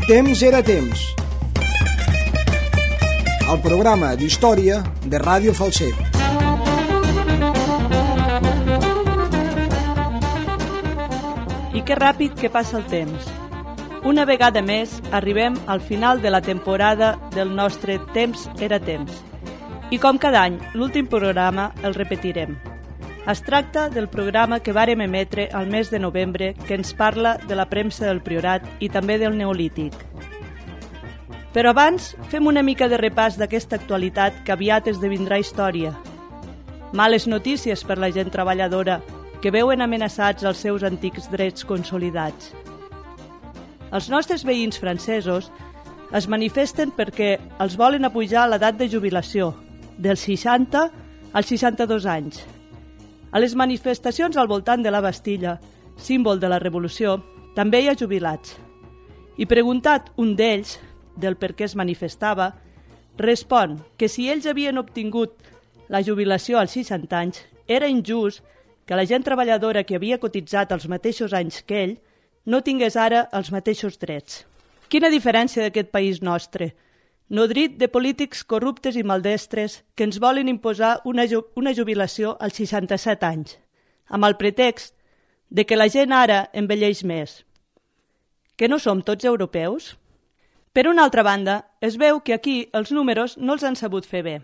Temps era temps. El programa d'història de Ràdio Falset. I que ràpid que passa el temps. Una vegada més arribem al final de la temporada del nostre Temps era temps. I com cada any, l'últim programa el repetirem. Es tracta del programa que vàrem emetre al mes de novembre que ens parla de la premsa del Priorat i també del Neolític. Però abans fem una mica de repàs d'aquesta actualitat que aviat esdevindrà història. Males notícies per la gent treballadora que veuen amenaçats els seus antics drets consolidats. Els nostres veïns francesos es manifesten perquè els volen apujar l'edat de jubilació, dels 60 als 62 anys. A les manifestacions al voltant de la Bastilla, símbol de la Revolució, també hi ha jubilats. I preguntat un d'ells del per què es manifestava, respon que si ells havien obtingut la jubilació als 60 anys, era injust que la gent treballadora que havia cotitzat els mateixos anys que ell no tingués ara els mateixos drets. Quina diferència d'aquest país nostre, nodrit de polítics corruptes i maldestres que ens volen imposar una jubilació als 67 anys, amb el pretext de que la gent ara envelleix més. Que no som tots europeus? Per una altra banda, es veu que aquí els números no els han sabut fer bé.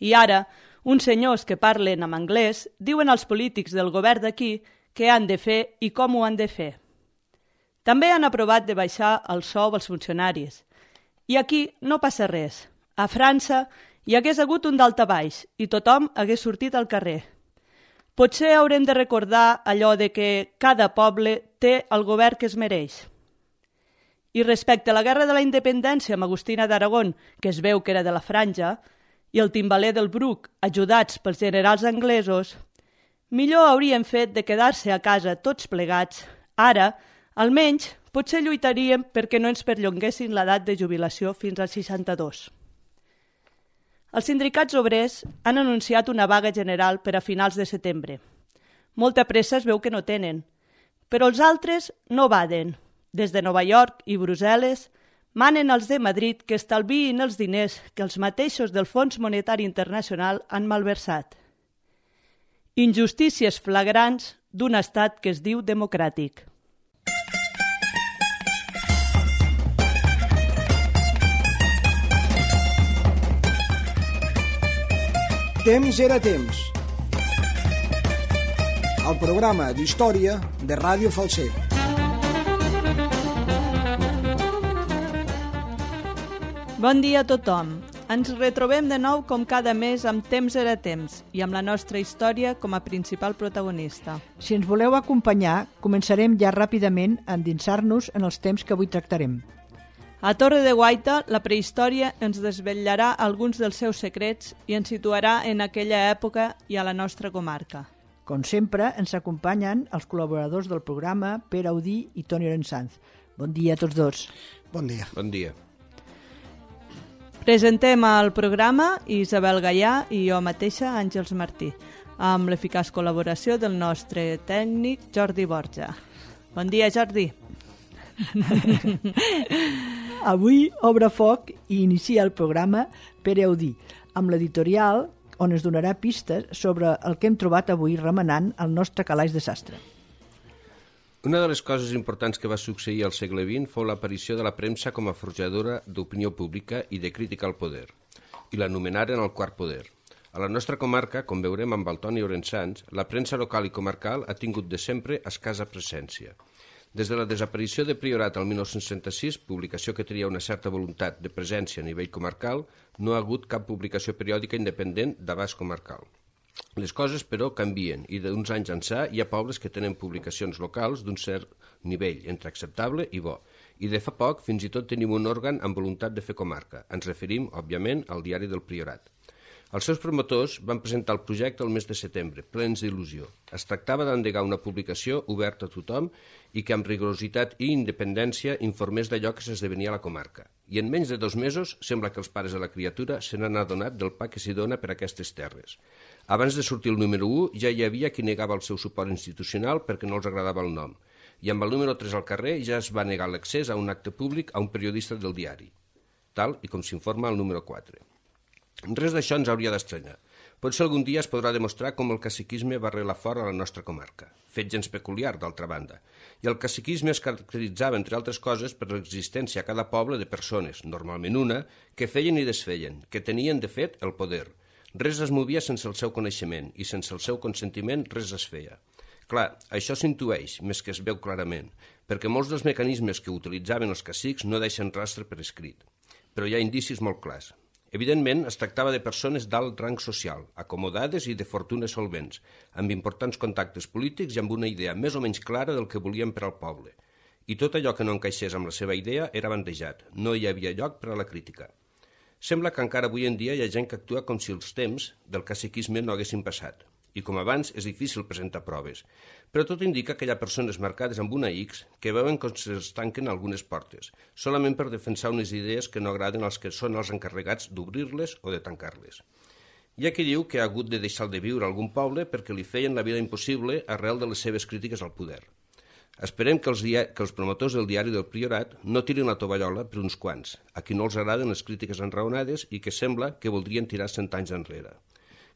I ara, uns senyors que parlen en anglès diuen als polítics del govern d'aquí què han de fer i com ho han de fer. També han aprovat de baixar el sou als funcionaris. I aquí no passa res. A França hi hagués hagut un daltabaix i tothom hagués sortit al carrer. Potser haurem de recordar allò de que cada poble té el govern que es mereix. I respecte a la Guerra de la Independència amb Agustina d'Aragón, que es veu que era de la Franja, i el timbaler del Bruc, ajudats pels generals anglesos, millor haurien fet de quedar-se a casa tots plegats. Ara, almenys, potser lluitaríem perquè no ens perllonguessin l'edat de jubilació fins als 62. Els sindicats obrers han anunciat una vaga general per a finals de setembre. Molta pressa es veu que no tenen, però els altres no baden. Des de Nova York i Brussel·les manen els de Madrid que estalviïn els diners que els mateixos del Fons Monetari Internacional han malversat. Injustícies flagrants d'un estat que es diu democràtic. Temps era temps. El programa d'història de Ràdio Falset. Bon dia a tothom. Ens retrobem de nou com cada mes amb Temps era temps i amb la nostra història com a principal protagonista. Si ens voleu acompanyar, començarem ja ràpidament a endinsar-nos en els temps que avui tractarem. A Torre de Guaita, la prehistòria ens desvetllarà alguns dels seus secrets i ens situarà en aquella època i a la nostra comarca. Com sempre, ens acompanyen els col·laboradors del programa, Pere Audí i Toni Orensanz. Bon dia a tots dos. Bon dia. Bon dia. Presentem el programa Isabel Gaià i jo mateixa, Àngels Martí, amb l'eficaç col·laboració del nostre tècnic Jordi Borja. Bon dia, Jordi. Avui obre foc i inicia el programa Pere Audí, amb l'editorial on es donarà pistes sobre el que hem trobat avui remenant el nostre calaix de sastre. Una de les coses importants que va succeir al segle XX fou l'aparició de la premsa com a forjadora d'opinió pública i de crítica al poder, i l'anomenaren el quart poder. A la nostra comarca, com veurem amb el Toni Orensanz, la premsa local i comarcal ha tingut de sempre escassa presència. Des de la desaparició de Priorat al 1966, publicació que tenia una certa voluntat de presència a nivell comarcal, no ha hagut cap publicació periòdica independent d'abast comarcal. Les coses, però, canvien i d'uns anys ençà hi ha pobles que tenen publicacions locals d'un cert nivell, entre acceptable i bo. I de fa poc fins i tot tenim un òrgan amb voluntat de fer comarca. Ens referim, òbviament, al Diari del Priorat. Els seus promotors van presentar el projecte el mes de setembre, plens d'il·lusió. Es tractava d'endegar una publicació oberta a tothom i que amb rigorositat i independència informés d'allò que s'esdevenia a la comarca. I en menys de 2 mesos sembla que els pares de la criatura se n'han adonat del pa que s'hi dona per aquestes terres. Abans de sortir el número 1 ja hi havia qui negava el seu suport institucional perquè no els agradava el nom. i amb el número 3 al carrer ja es va negar l'accés a un acte públic a un periodista del diari, tal i com s'informa al número 4. Res d'això ens hauria d'estranyar. Potser algun dia es podrà demostrar com el caciquisme va arrelar fora a la nostra comarca, fet gens peculiar, d'altra banda. I el caciquisme es caracteritzava, entre altres coses, per l'existència a cada poble de persones, normalment una, que feien i desfeien, que tenien, de fet, el poder. Res es movia sense el seu coneixement, i sense el seu consentiment res es feia. Clar, això s'intueix, més que es veu clarament, perquè molts dels mecanismes que utilitzaven els cacics no deixen rastre per escrit. Però hi ha indicis molt clars. Evidentment, es tractava de persones d'alt rang social, acomodades i de fortunes solvents, amb importants contactes polítics i amb una idea més o menys clara del que volien per al poble. I tot allò que no encaixés amb la seva idea era bandejat, no hi havia lloc per a la crítica. Sembla que encara avui en dia hi ha gent que actua com si els temps del caciquisme no haguessin passat. I com abans és difícil presentar proves, però tot indica que hi ha persones marcades amb una X que veuen com es tanquen algunes portes, solament per defensar unes idees que no agraden als que són els encarregats d'obrir-les o de tancar-les. Hi ha qui diu que ha hagut de deixar de viure a algun poble perquè li feien la vida impossible arrel de les seves crítiques al poder. Esperem que els promotors del diari del Priorat no tirin la tovallola per uns quants, a qui no els agraden les crítiques enraonades i que sembla que voldrien tirar 100 anys enrere.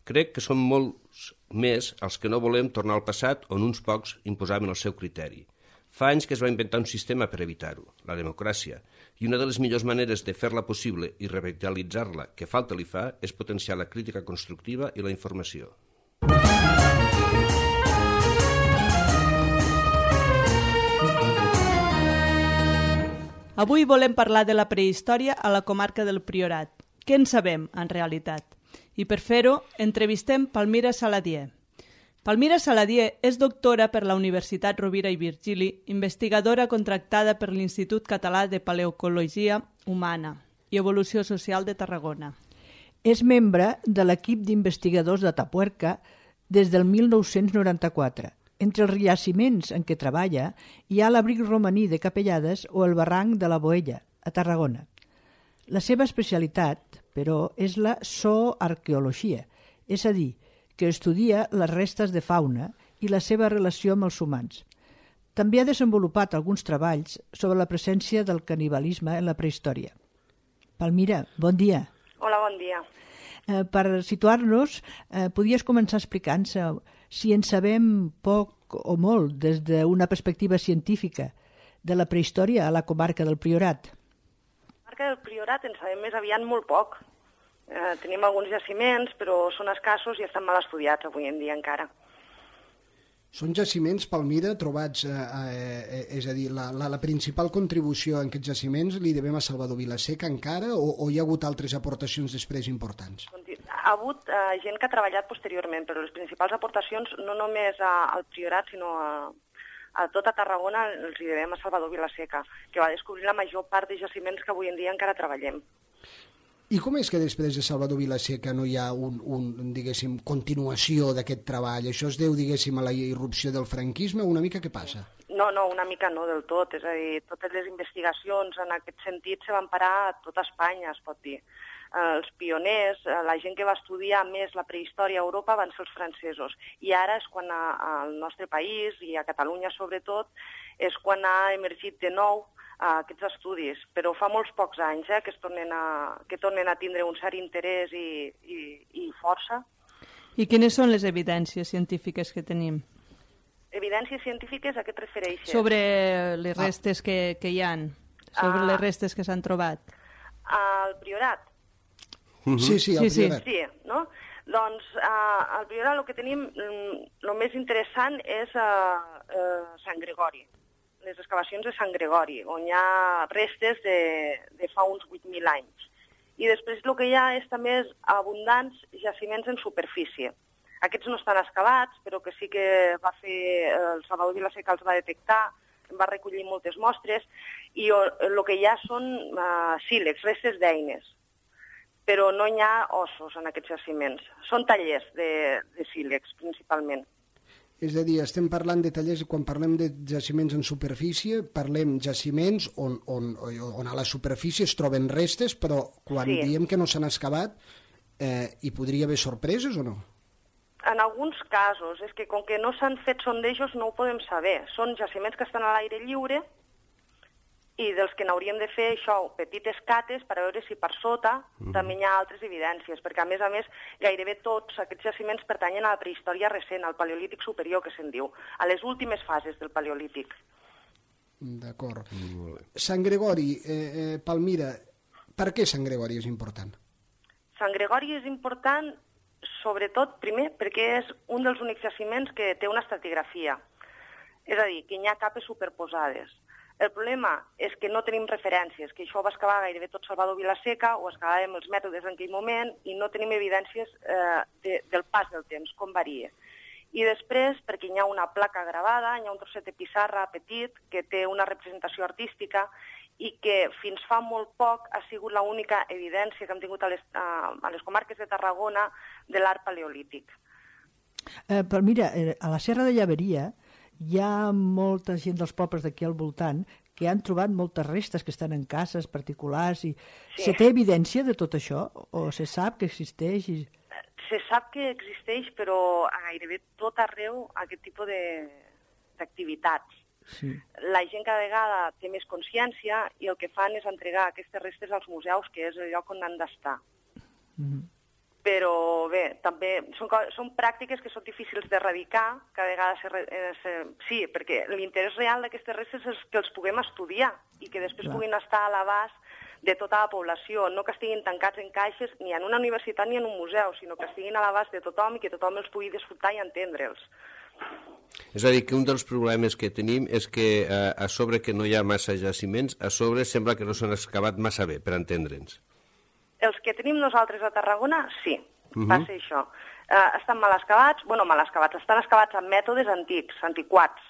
Crec que són molts més els que no volem tornar al passat on uns pocs imposaven el seu criteri. Fa anys que es va inventar un sistema per evitar-ho, la democràcia, i una de les millors maneres de fer-la possible i revitalitzar-la, que falta li fa, és potenciar la crítica constructiva i la informació. Avui volem parlar de la prehistòria a la comarca del Priorat. Què en sabem, en realitat? I per fer-ho, entrevistem Palmira Saladier. Palmira Saladier és doctora per la Universitat Rovira i Virgili, investigadora contractada per l'Institut Català de Paleocologia Humana i Evolució Social de Tarragona. És membre de l'equip d'investigadors de Tapuerca des del 1994. Entre els jaciments en què treballa hi ha l'abric romaní de Capellades o el barranc de la Boella, a Tarragona. La seva especialitat, però, és la zooarqueologia, és a dir, que estudia les restes de fauna i la seva relació amb els humans. També ha desenvolupat alguns treballs sobre la presència del canibalisme en la prehistòria. Palmira, bon dia. Hola, bon dia. Per situar-nos, podries començar explicant-se si en sabem poc o molt des d'una perspectiva científica de la prehistòria a la comarca del Priorat. Del Priorat en sabem més aviat molt poc. Tenim alguns jaciments, però són escassos i estan mal estudiats avui en dia encara. Són jaciments, Palmira, trobats, és a dir, la principal contribució en aquests jaciments li devem a Salvador Vilaseca encara o hi ha hagut altres aportacions després importants? Ha hagut gent que ha treballat posteriorment, però les principals aportacions no només al Priorat, sinó a tota Tarragona els hi devem a Salvador Vilaseca, que va descobrir la major part de jaciments que avui en dia encara treballem. I com és que després de Salvador Vilaseca no hi ha diguéssim, continuació d'aquest treball? Això es deu, diguéssim, a la irrupció del franquisme o una mica què passa? No, una mica no del tot. És a dir, totes les investigacions en aquest sentit se van parar a tota Espanya, es pot dir. Els pioners, la gent que va estudiar més la prehistòria a Europa van ser els francesos. I ara és quan al nostre país, i a Catalunya sobretot, és quan ha emergit de nou aquests estudis. Però fa molts pocs anys que tornen a tindre un cert interès i força. I quines són les evidències científiques que tenim? Evidències científiques a què et refereixes? Sobre les restes que hi ha, sobre les restes que s'han trobat. Al Priorat? Sí, al Priorat. Sí, no? Doncs al Priorat el que tenim, el més interessant és Sant Gregori, les excavacions de Sant Gregori, on hi ha restes de fa uns 8.000 anys. I després el que hi ha és també abundants jaciments en superfície. Aquests no estan excavats, però que sí que va fer el Salvador Vilaseca els va detectar, va recollir moltes mostres, i el que hi ha són sílex, restes d'eines, però no hi ha ossos en aquests jaciments. Són tallers de sílex, principalment. És a dir, estem parlant de tallers, quan parlem de jaciments en superfície, parlem jaciments on a la superfície es troben restes, però quan diem que no s'han excavat, hi podria haver sorpreses o no? En alguns casos, és que com que no s'han fet sondejos no ho podem saber. Són jaciments que estan a l'aire lliure i dels que n'hauríem de fer això, petites cates per a veure si per sota també hi ha altres evidències, perquè a més, gairebé tots aquests jaciments pertanyen a la prehistòria recent, al paleolític superior, que se'n diu, a les últimes fases del paleolític. D'acord. Sant Gregori, Palmira, per què Sant Gregori és important? Sant Gregori és important, sobretot, primer, perquè és un dels únics jaciments que té una estratigrafia. És a dir, que hi ha capes superposades. El problema és que no tenim referències, que això ho va excavar gairebé tot Salvador Vilaseca, o excavàvem els mètodes en aquell moment, i no tenim evidències del pas del temps, com varia. I després, perquè hi ha una placa gravada, hi ha un trosset de pissarra petit que té una representació artística i que fins fa molt poc ha sigut l'única evidència que hem tingut a les comarques de Tarragona de l'art paleolític. Però mira, a la Serra de Llaveria hi ha molta gent dels pobles d'aquí al voltant que han trobat moltes restes que estan en cases particulars. I Sí. se té evidència de tot això? O se sap que existeix? Se sap que existeix, però a gairebé tot arreu aquest tipus d'activitats. Sí. La gent cada vegada té més consciència i el que fan és entregar aquestes restes als museus, que és el lloc on han d'estar. Però bé, també són pràctiques que són difícils d'erradicar, cada vegada sí, perquè l'interès real d'aquestes restes és que els puguem estudiar i que després puguin estar a l'abast de tota la població, no que estiguin tancats en caixes ni en una universitat ni en un museu, sinó que estiguin a l'abast de tothom i que tothom els pugui disfrutar i entendre'ls. És a dir, que un dels problemes que tenim és que a sobre que no hi ha massa jaciments, a sobre sembla que no s'han excavat massa bé, per entendre'ns. Els que tenim nosaltres a Tarragona, sí, va ser això. Estan mal excavats, estan excavats amb mètodes antics, antiquats.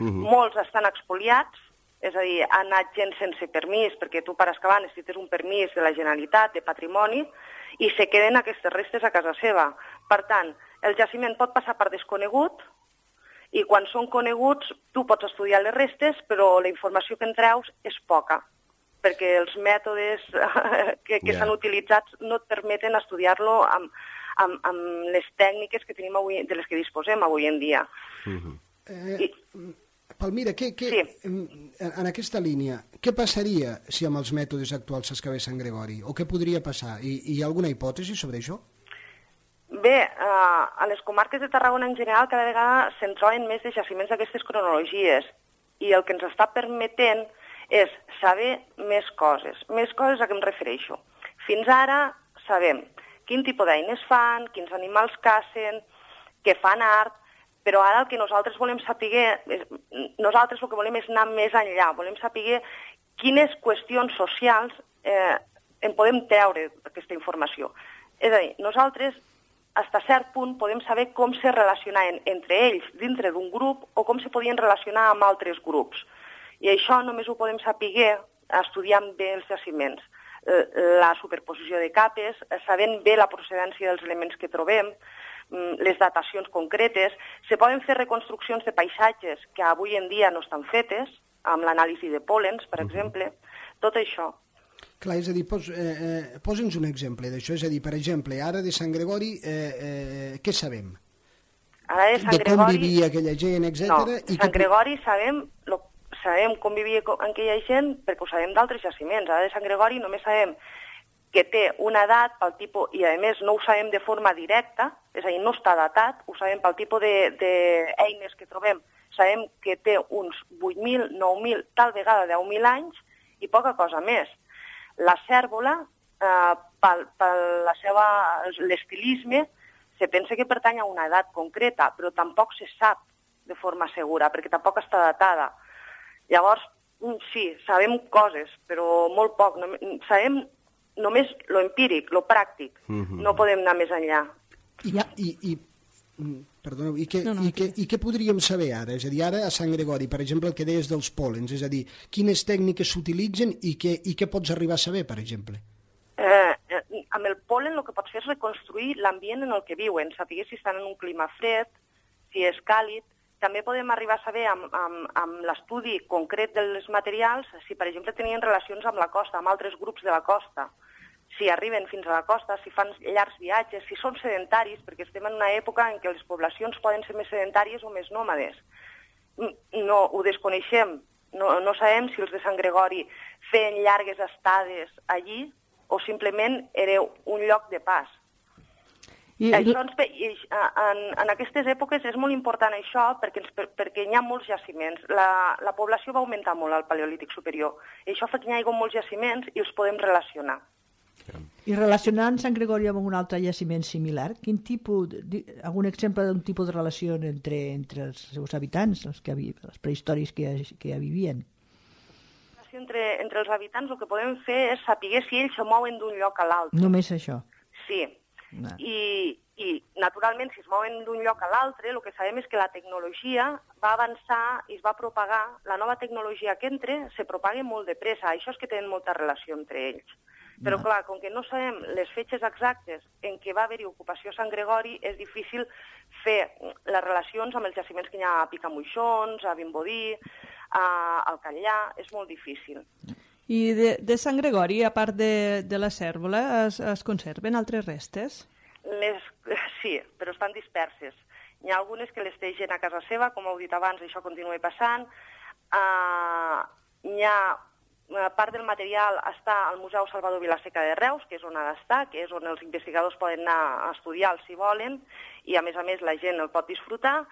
Molts estan expoliats, és a dir, ha anat gent sense permís, perquè tu per excavar necessites un permís de la Generalitat, de patrimoni, i se queden aquestes restes a casa seva. Per tant, el jaciment pot passar per desconegut, i quan són coneguts tu pots estudiar les restes, però la informació que en treus és poca, perquè els mètodes que s'han utilitzat no et permeten estudiar-lo amb les tècniques que tenim avui, de les que disposem avui en dia. Palmira, en aquesta línia, què passaria si amb els mètodes actuals s'excavés Sant Gregori? O què podria passar? Hi ha alguna hipòtesi sobre això? Bé, a les comarques de Tarragona en general cada vegada se'n troben més de jaciments d'aquestes cronologies i el que ens està permetent és saber més coses. Més coses a què em refereixo. Fins ara sabem quin tipus d'eines fan, quins animals cacen, que fan art, però ara el que nosaltres volem saber, nosaltres el que volem és anar més enllà, volem saber quines qüestions socials en podem treure d'aquesta informació. És a dir, nosaltres fins a cert punt podem saber com se relacionaven entre ells dintre d'un grup o com se podien relacionar amb altres grups. I això només ho podem saber estudiant bé els jaciments. La superposició de capes, sabent bé la procedència dels elements que trobem, les datacions concretes. Se poden fer reconstruccions de paisatges que avui en dia no estan fetes, amb l'anàlisi de pòlens, per exemple, tot això. Clar, és a dir, posa'ns un exemple d'això. És a dir, per exemple, ara de Sant Gregori, què sabem? De com vivia aquella gent, etc. No, de Sant Gregori sabem com vivia aquella gent perquè ho sabem d'altres jaciments. Ara de Sant Gregori només sabem que té una edat pel tipus, i a més no ho sabem de forma directa, és a dir, no està datat, ho sabem pel tipus d'eines que trobem. Sabem que té uns 8.000, 9.000, tal vegada 10.000 anys i poca cosa més. La cèrvola, l'estilisme, se pensa que pertany a una edat concreta, però tampoc se sap de forma segura, perquè tampoc està datada. Llavors, sí, sabem coses, però molt poc. Sabem només lo empíric, lo pràctic. No podem anar més enllà. Perdoneu, i què podríem saber ara? És a dir, ara a Sant Gregori, per exemple, el que deies dels pòlens, és a dir, quines tècniques s'utilitzen i què pots arribar a saber, per exemple? Amb el pol·len el que pots fer és reconstruir l'ambient en el que viuen, saber si estan en un clima fred, si és càlid. També podem arribar a saber amb l'estudi concret dels materials si, per exemple, tenien relacions amb la costa, amb altres grups de la costa. si arriben fins a la costa, si fan llargs viatges, si són sedentaris, perquè estem en una època en què les poblacions poden ser més sedentàries o més nòmades. No, ho desconeixem. No sabem si els de Sant Gregori feien llargues estades allí o simplement era un lloc de pas. Això en aquestes èpoques és molt important això perquè hi ha molts jaciments. La població va augmentar molt al Paleolític superior. I això fa que hi hagi molts jaciments i els podem relacionar. I relacionant Sant Gregori amb un altre jaciment similar, algun exemple d'un tipus de relació entre els seus habitants, els prehistòrics que ja vivien? Entre els habitants el que podem fer és saber si ells se mouen d'un lloc a l'altre. Només això? Sí. No. I naturalment, si es mouen d'un lloc a l'altre, el que sabem és que la tecnologia va avançar i es va propagar. La nova tecnologia que entra se propaga molt de pressa. Això és que tenen molta relació entre ells. Però, clar, com que no sabem les fetges exactes en què va haver-hi ocupació a Sant Gregori, és difícil fer les relacions amb els jaciments que hi ha a Picamoixons, a Vimbodí, al Catllà, és molt difícil. I de Sant Gregori, a part de la cèrvola, es conserven altres restes? Sí, però estan disperses. Hi ha algunes que les té gent a casa seva, com heu dit abans, això continua passant. Hi ha part del material està al Museu Salvador Vilaseca de Reus, que és on ha d'estar, que és on els investigadors poden anar a estudiar si volen, i a més la gent el pot disfrutar.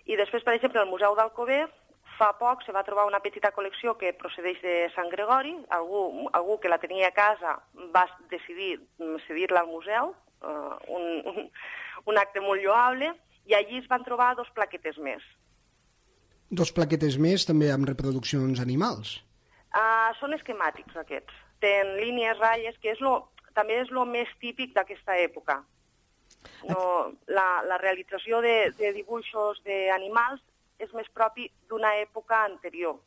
I després, per exemple, al Museu d'Alcover, fa poc se va trobar una petita col·lecció que procedeix de Sant Gregori. Algú que la tenia a casa va decidir cedir-la al museu, un acte molt lloable, i allí es van trobar 2 plaquetes més. 2 plaquetes més, també amb reproduccions animals? Són esquemàtics, aquests. Tenen línies, ratlles, que també és el més típic d'aquesta època. La realització de dibuixos d'animals és més propi d'una època anterior,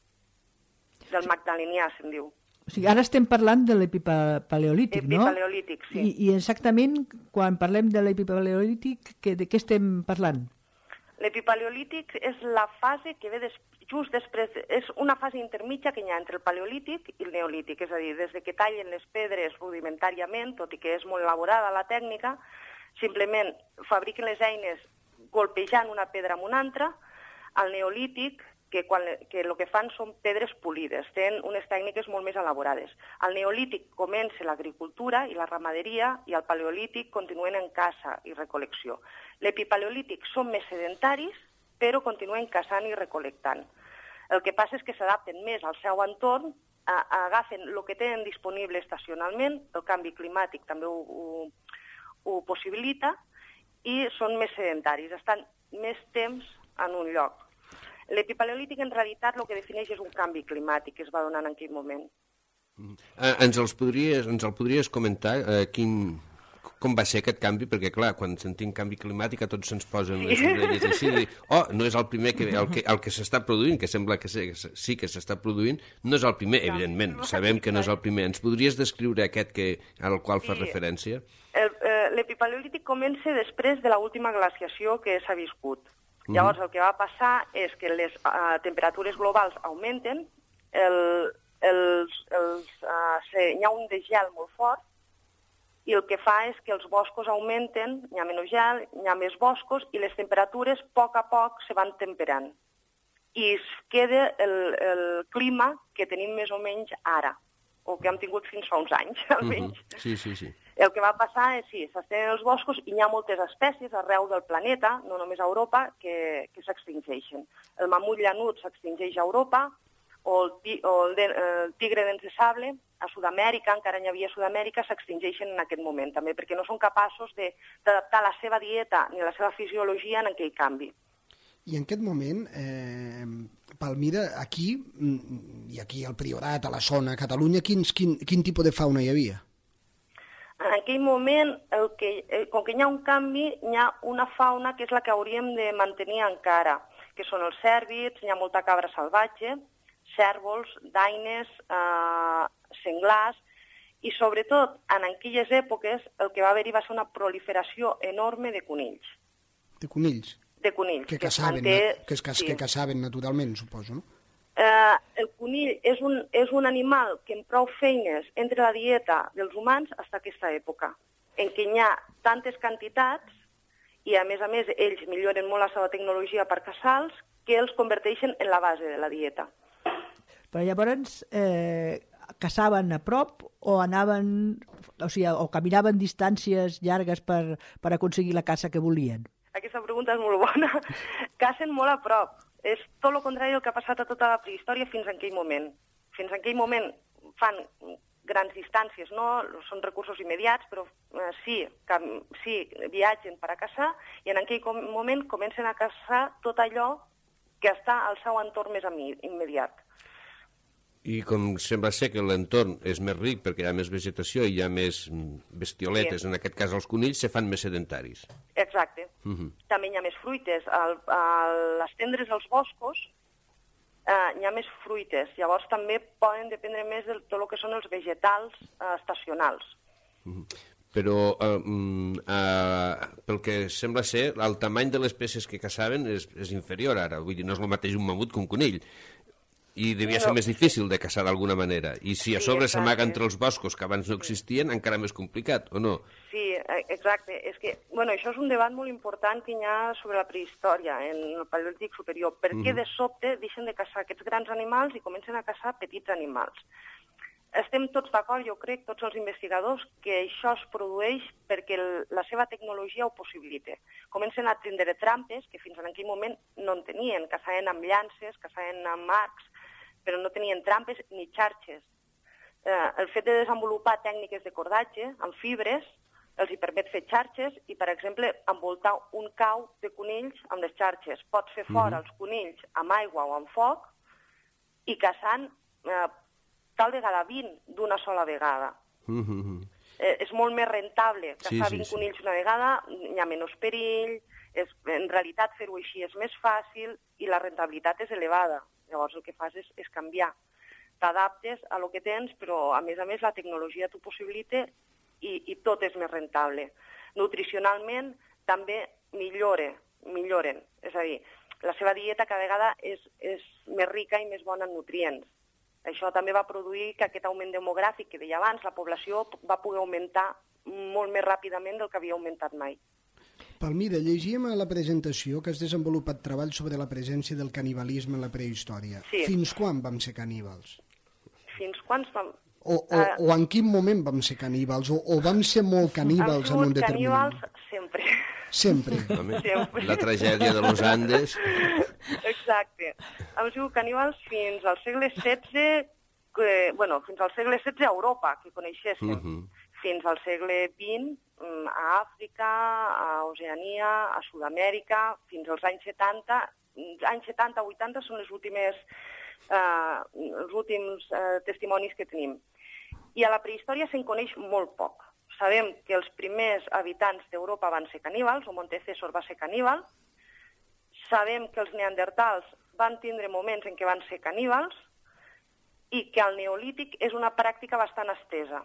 del Magdalenià, se'n diu. O sigui, ara estem parlant de l'epipaleolític, no? Epipaleolític, sí. I exactament, quan parlem de l'epipaleolític, de què estem parlant? L'epipaleolític és la fase que ve just després, és una fase intermitja que hi ha entre el paleolític i el neolític, és a dir, des que tallen les pedres rudimentàriament, tot i que és molt elaborada la tècnica, simplement fabriquen les eines golpejant una pedra amb una altra. Al neolític, que el que fan són pedres polides, tenen unes tècniques molt més elaborades. Al neolític comença l'agricultura i la ramaderia i al paleolític continuen en caça i recol·lecció. L'epipaleolític són més sedentaris, però continuen caçant i recol·lectant. El que passa és que s'adapten més al seu entorn, agafen el que tenen disponible estacionalment, el canvi climàtic també ho possibilita, i són més sedentaris, estan més temps en un lloc. L'epipaleolític, en realitat, el que defineix és un canvi climàtic que es va donar en aquell moment. Ens el podries comentar com va ser aquest canvi? Perquè, clar, quan sentim canvi climàtic a tots se'ns posen les orelles així de dir, no és el primer el que s'està produint, que sembla que sí que s'està produint, no és el primer, evidentment, sabem que no és el primer. Ens podries descriure aquest al qual fa referència? L'epipaleolític comença després de l'última glaciació que s'ha viscut. Llavors, el que va passar és que les temperatures globals augmenten, hi ha un desgel molt fort, i el que fa és que els boscos augmenten, hi ha menys gel, hi ha més boscos, i les temperatures a poc se van temperant. I es queda el clima que tenim més o menys ara, o que hem tingut fins fa uns anys, almenys. Sí. El que va passar és, sí, s'estenen els boscos i hi ha moltes espècies arreu del planeta, no només a Europa, que s'extingeixen. El mamut llanut s'extingeix a Europa, o el tigre dents de sable, a Sud-amèrica, encara n'hi havia a Sud-amèrica, s'extingeixen en aquest moment, també perquè no són capaços d'adaptar la seva dieta ni la seva fisiologia en aquell canvi. I en aquest moment, Palmira, aquí, i aquí al Priorat, a la zona, a Catalunya, quin tipus de fauna hi havia? En aquell moment, com que hi ha un canvi, hi ha una fauna que és la que hauríem de mantenir encara, que són els cèrvids, hi ha molta cabra salvatge, cèrvols, daines, senglars, i sobretot en aquelles èpoques el que va haver-hi va ser una proliferació enorme de conills. De conills? De conills. Que caçaven naturalment, suposo, no? El conill és un animal que amb prou feines entra a la dieta dels humans fins a aquesta època, en què hi ha tantes quantitats i, a més, ells milloren molt la seva tecnologia per caçar-los que els converteixen en la base de la dieta. Però llavors caçaven a prop o anaven, o caminaven distàncies llargues per aconseguir la caça que volien? Aquesta pregunta és molt bona. Cacen molt a prop. És tot el contrari del que ha passat a tota la prehistòria fins en aquell moment. Fins en aquell moment fan grans distàncies, no? Són recursos immediats, però sí viatgen per a caçar i en aquell moment comencen a caçar tot allò que està al seu entorn més immediat. I com sembla ser que l'entorn és més ric perquè hi ha més vegetació i hi ha més bestioletes, en aquest cas els conills, se fan més sedentaris. Exacte. També hi ha més fruites. A les tendres dels boscos hi ha més fruites. Llavors també poden dependre més de tot el que són els vegetals estacionals. Però pel que sembla ser, el tamany de les peces que caçaven és inferior ara. Vull dir, no és el mateix un mamut que un conill. I devia ser més difícil de caçar d'alguna manera. I si a sobre s'amaga entre els boscos que abans no existien, encara més complicat, o no? Sí, exacte. És que, això és un debat molt important que hi ha sobre la prehistòria, en el Paleolític superior. Per què de sobte deixen de caçar aquests grans animals i comencen a caçar petits animals? Estem tots d'acord, jo crec, tots els investigadors, que això es produeix perquè la seva tecnologia ho possibilita. Comencen a tindre trampes que fins en aquell moment no en tenien. Caçaven amb llances, caçaven amb arcs, però no tenien trampes ni xarxes. El fet de desenvolupar tècniques de cordatge amb fibres els hi permet fer xarxes i, per exemple, envoltar un cau de conills amb les xarxes. Pots fer fora els conills amb aigua o amb foc i caçant tal vegada 20 d'una sola vegada. És molt més rentable caçar 20 conills una vegada, hi ha menys perill, en realitat fer-ho així és més fàcil i la rentabilitat és elevada. Llavors el que fas és canviar. T'adaptes a lo que tens, però a més la tecnologia t'ho possibilita i tot és més rentable. Nutricionalment també milloren. És a dir, la seva dieta cada vegada és més rica i més bona en nutrients. Això també va produir que aquest augment demogràfic que deia abans, la població va poder augmentar molt més ràpidament del que havia augmentat mai. Palmira, llegíem a la presentació que has desenvolupat treball sobre la presència del canibalisme en la prehistòria. Sí. Fins quan vam ser caníbals? Fins quan vam... O en quin moment vam ser caníbals? O vam ser molt caníbals en un determinat... caníbals sempre. Sempre. Sempre. La tragèdia de los Andes. Exacte. Hem sigut caníbals fins al segle XVI, fins al segle XVI a Europa, que coneixéssim. Fins al segle XX a Àfrica, a Oceania, a Sud-amèrica, fins als anys 70. Anys 70-80 són els últims testimonis que tenim. I a la prehistòria se'n coneix molt poc. Sabem que els primers habitants d'Europa van ser caníbals, o Montecèsor va ser caníbal. Sabem que els neandertals van tindre moments en què van ser caníbals i que el neolític és una pràctica bastant estesa.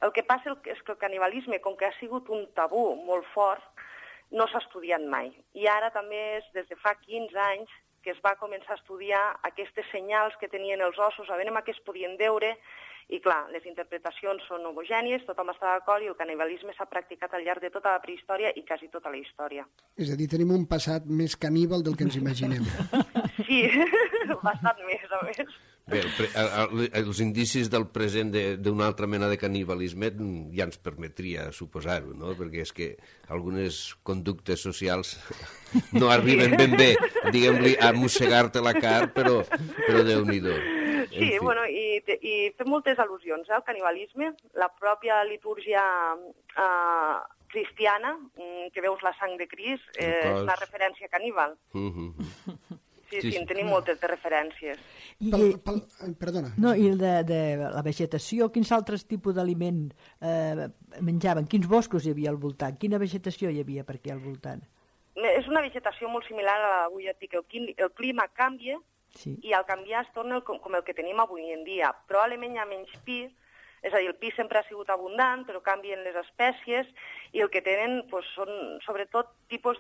El que passa és que el canibalisme, com que ha sigut un tabú molt fort, no s'ha estudiat mai. I ara també és des de fa 15 anys que es va començar a estudiar aquestes senyals que tenien els ossos, a veure què es podien veure. I clar, les interpretacions són homogènies, tothom està d'acord i el canibalisme s'ha practicat al llarg de tota la prehistòria i quasi tota la història. És a dir, tenim un passat més caníbal del que ens imaginem. Sí, bastant més, a més. Bé, els indicis del present d'una altra mena de canibalisme ja ens permetria suposar-ho, no? Perquè és que algunes conductes socials no arriben ben bé, diguem-li, a mossegar-te la car, però Déu-n'hi-do. Sí, i fem moltes al·lusions al canibalisme. La pròpia litúrgia cristiana, que veus la sang de Crist, és una referència caníbal. Sí, en tenim moltes de referències. Perdona. No, i de la vegetació, quins altres tipus d'aliment menjaven? Quins boscos hi havia al voltant? Quina vegetació hi havia per aquí al voltant? És una vegetació molt similar a avui et dic. El clima canvia, sí. I al canviar es torna com el que tenim avui en dia. Probablement hi ha menys pi, és a dir, el pi sempre ha sigut abundant, però canvien les espècies, i el que tenen són sobretot tipus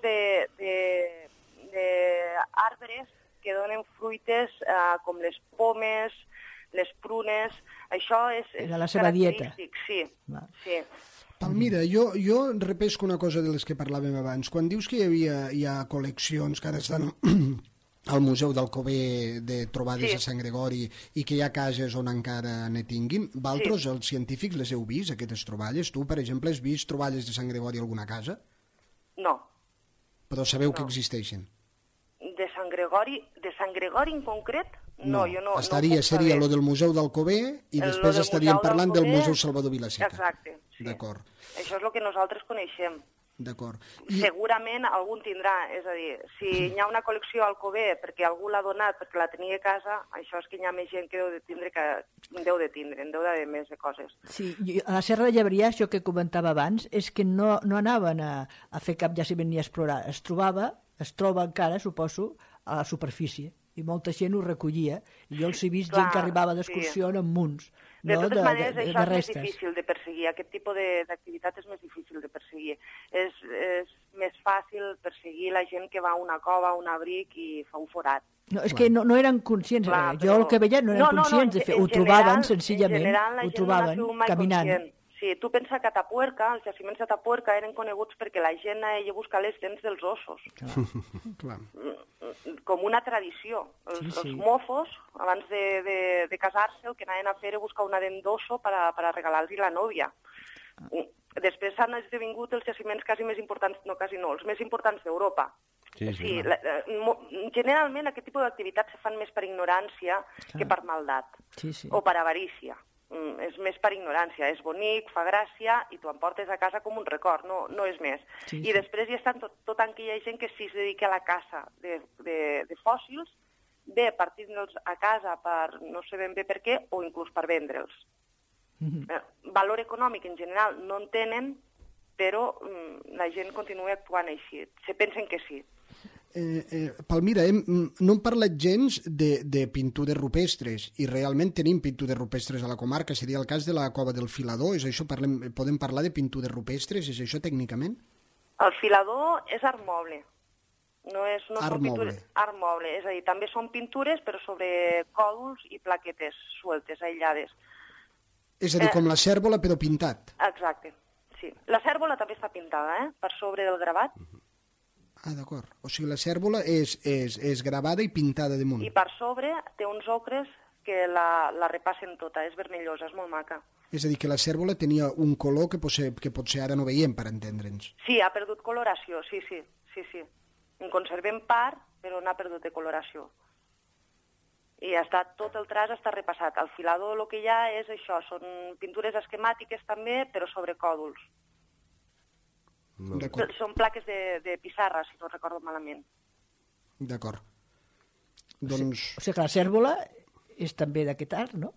d'arbres que que donen fruites com les pomes, les prunes, això és Era la seva dieta. Sí, sí. Palmira, jo repesco una cosa de les que parlàvem abans. Quan dius que hi ha col·leccions que ara estan al Museu d'Alcover de trobades a Sant Gregori i que hi ha cases on encara ne tinguin, vosaltres, els científics, les heu vist, aquestes troballes? Tu, per exemple, has vist troballes de Sant Gregori a alguna casa? No. Però sabeu que existeixen? De Sant Gregori en concret? No, jo no seria lo del Museu d'Alcover i després estaríem parlant del Museu Salvador Vilaseca. Exacte, sí. D'acord. Això és el que nosaltres coneixem. D'acord. Segurament algun tindrà, és a dir, si hi ha una col·lecció al Alcover perquè algú l'ha donat perquè la tenia a casa, això és que hi ha més gent que deu de tindre més de coses. Sí, a la Serra de Llebreà, això que comentava abans, és que no anaven a fer cap jaciment ni a explorar. Es troba encara, suposo, a la superfície. I molta gent ho recollia. I jo els he vist gent que arribava d'excursió amb munts. De totes maneres, això és més difícil de perseguir. Aquest tipus d'activitat és més difícil de perseguir. És més fàcil perseguir la gent que va a una cova, a un abric i fa un forat. No, és que no eren conscients. Clar, jo el que veia no eren conscients de fer. Ho trobaven senzillament, ho trobaven caminant. Sí, tu pensa que a Atapuerca, els jaciments d'Atapuerca eren coneguts perquè la gent anaia a buscar les dents dels ossos. Clar. Com una tradició. Els mofos, abans de casar-se, el que anaven a fer era buscar una dent d'osso per a regalar-li la nòvia. Després s'han esdevingut els jaciments quasi més importants, no quasi no, els més importants d'Europa. Sí, generalment aquest tipus d'activitats se fan més per ignorància que per maldat o per avarícia. És més per ignorància, és bonic, fa gràcia i t'ho emportes a casa com un record, no és més. I després hi estan tota aquella gent que sí es dedica a la caça de fòssils, bé partint-los a casa per no sé ben bé per què o inclús per vendre'ls. Valor econòmic en general no en tenen, però la gent continua actuant així. Se pensen que sí. Palmira, no hem parlat gens de pintures rupestres i realment tenim pintures rupestres a la comarca. Seria el cas de la Cova del Filador. És això? Podem parlar de pintures rupestres? És això tècnicament? El filador és art moble. No art moble. Art moble. És a dir, també són pintures però sobre còdols i plaquetes sueltes, aïllades. És a dir, com la cèrvola però pintat. Exacte, sí. La cèrvola també està pintada, per sobre del gravat. Ah, d'acord. O sigui, la cèrvola és gravada i pintada damunt. I per sobre té uns ocres que la repassen tota, és vermellosa, és molt maca. És a dir, que la cèrvola tenia un color que potser ara no veiem, per entendre'ns. Sí, ha perdut coloració, sí. En conservem part, però n'ha perdut de coloració. I tot el traç està repassat. Al filador el que hi ha és això, són pintures esquemàtiques també, però sobre còdols. Són plaques de pissarra, si no recordo malament. D'acord. Doncs... O sigui que la cèrvola és també d'aquest art, no?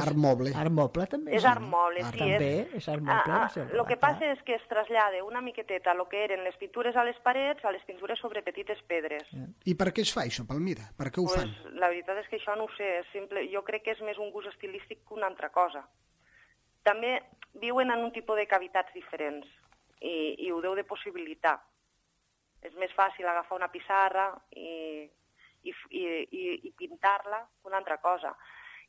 Art moble. Art moble també. És art moble, sí. També és art moble. El que passa és que es trasllada una miqueteta el que eren les pintures a les parets a les pintures sobre petites pedres. I per què es fa això, Palmira? Per què ho fan? La veritat és que això no ho sé. Jo crec que és més un gust estilístic que una altra cosa. També viuen en un tipus de cavitats diferents. I ho deu de possibilitar. És més fàcil agafar una pissarra i pintar-la que una altra cosa.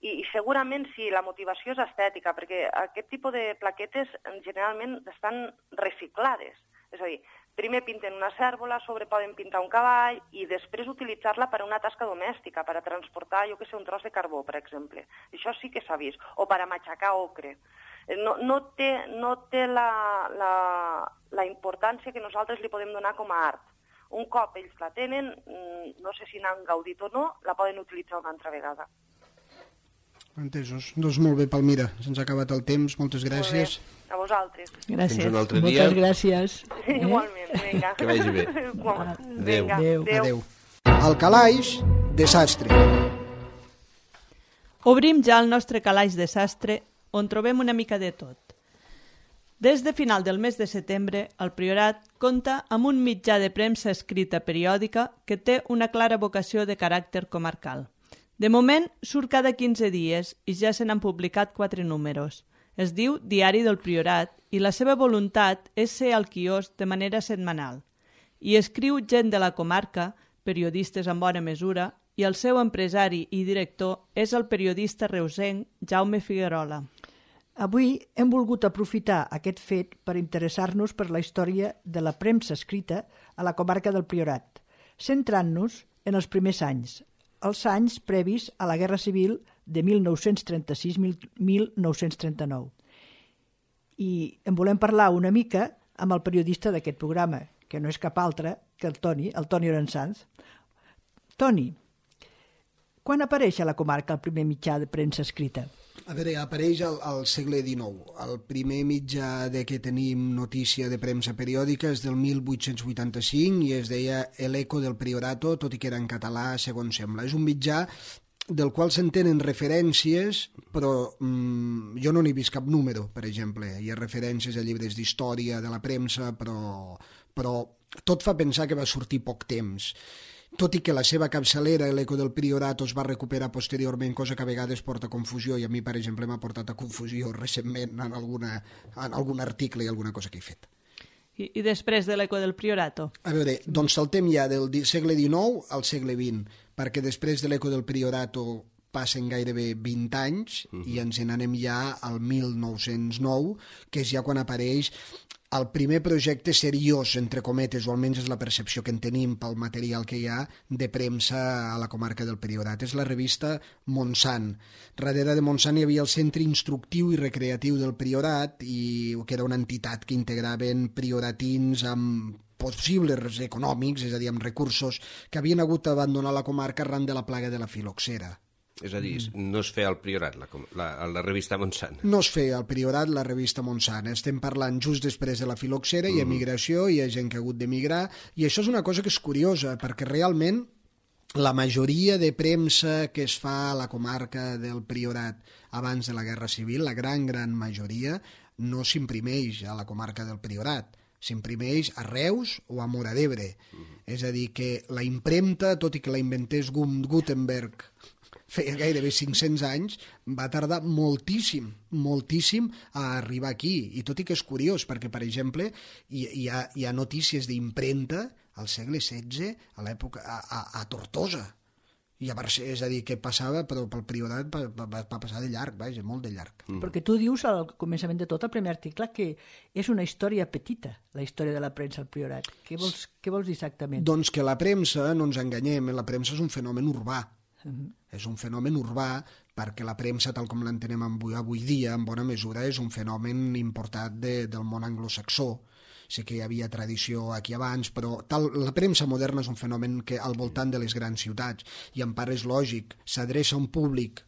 I segurament sí, la motivació és estètica, perquè aquest tipus de plaquetes generalment estan reciclades. És a dir, primer pinten una cèrvola, sobre poden pintar un cavall i després utilitzar-la per a una tasca domèstica, per a transportar, jo que sé, un tros de carbó, per exemple. Això sí que s'ha vist. O per a matxacar ocre. No té la importància que nosaltres li podem donar com a art. Un cop ells la tenen, no sé si n'han gaudit o no, la poden utilitzar una altra vegada. Entesos. Doncs molt bé, Palmira. Se'ns ha acabat el temps. Moltes gràcies. A vosaltres. Gràcies. Fins un altre dia. Moltes gràcies. Igualment, vinga. Que vagi bé. Adéu. Al calaix de sastre. Obrim ja el nostre calaix de sastre, on trobem una mica de tot. Des de final del mes de setembre, el Priorat compta amb un mitjà de premsa escrita periòdica que té una clara vocació de caràcter comarcal. De moment, surt cada 15 dies i ja se n'han publicat 4 números. Es diu Diari del Priorat i la seva voluntat és ser al quiosc de manera setmanal. Hi escriu gent de la comarca, periodistes en bona mesura, i el seu empresari i director és el periodista reusenc Jaume Figuerola. Avui hem volgut aprofitar aquest fet per interessar-nos per la història de la premsa escrita a la comarca del Priorat, centrant-nos en els primers anys, els anys previs a la Guerra Civil de 1936-1939. I en volem parlar una mica amb el periodista d'aquest programa, que no és cap altre que el Toni Orensanz. Toni, quan apareix a la comarca el primer mitjà de premsa escrita? A veure, apareix al segle XIX. El primer mitjà de què tenim notícia de premsa periòdica és del 1885 i es deia El Eco del Priorato, tot i que era en català, segons sembla. És un mitjà del qual s'entenen referències, però jo no n'he vist cap número, per exemple. Hi ha referències a llibres d'història de la premsa, però tot fa pensar que va sortir poc temps. Tot i que la seva capçalera, l'Eco del Priorato, es va recuperar posteriorment, cosa que a vegades porta confusió, i a mi, per exemple, m'ha portat a confusió recentment en algun article i alguna cosa que he fet. I després de l'Eco del Priorato? A veure, doncs saltem ja del segle XIX al segle XX, perquè després de l'Eco del Priorato passen gairebé 20 anys i ens n'anem ja al 1909, que és ja quan apareix el primer projecte seriós, entre cometes, o almenys és la percepció que en tenim pel material que hi ha, de premsa a la comarca del Priorat. És la revista Montsant. Darrere de Montsant hi havia el Centre Instructiu i Recreatiu del Priorat, que era una entitat que integraven prioratins amb possibles econòmics, és a dir, amb recursos, que havien hagut d'abandonar la comarca arran de la plaga de la filoxera. És a dir, no es feia al Priorat, la revista Montsant. No es feia al Priorat la revista Montsant. Estem parlant just després de la filoxera, hi ha migració, hi ha gent que ha hagut d'emigrar, i això és una cosa que és curiosa, perquè realment la majoria de premsa que es fa a la comarca del Priorat abans de la Guerra Civil, la gran majoria, no s'imprimeix a la comarca del Priorat. S'imprimeix a Reus o a Móra d'Ebre. És a dir, que la impremta, tot i que la inventés Gutenberg feia gairebé 500 anys, va tardar moltíssim a arribar aquí. I tot i que és curiós, perquè, per exemple, hi ha notícies d'impremta al segle XVI, a l'època, a Tortosa. És a dir, que passava, però pel Priorat va passar de llarg, vaja, molt de llarg. Perquè tu dius al començament de tot, el primer article, que és una història petita, la història de la premsa al Priorat. Què vols dir exactament? Doncs que la premsa, no ens enganyem, la premsa és un fenomen urbà. És un fenomen urbà perquè la premsa, tal com l'entenem avui dia, en bona mesura, és un fenomen importat del món anglosaxó. Sé que hi havia tradició aquí abans, però la premsa moderna és un fenomen que al voltant de les grans ciutats, i en part és lògic, s'adreça a un públic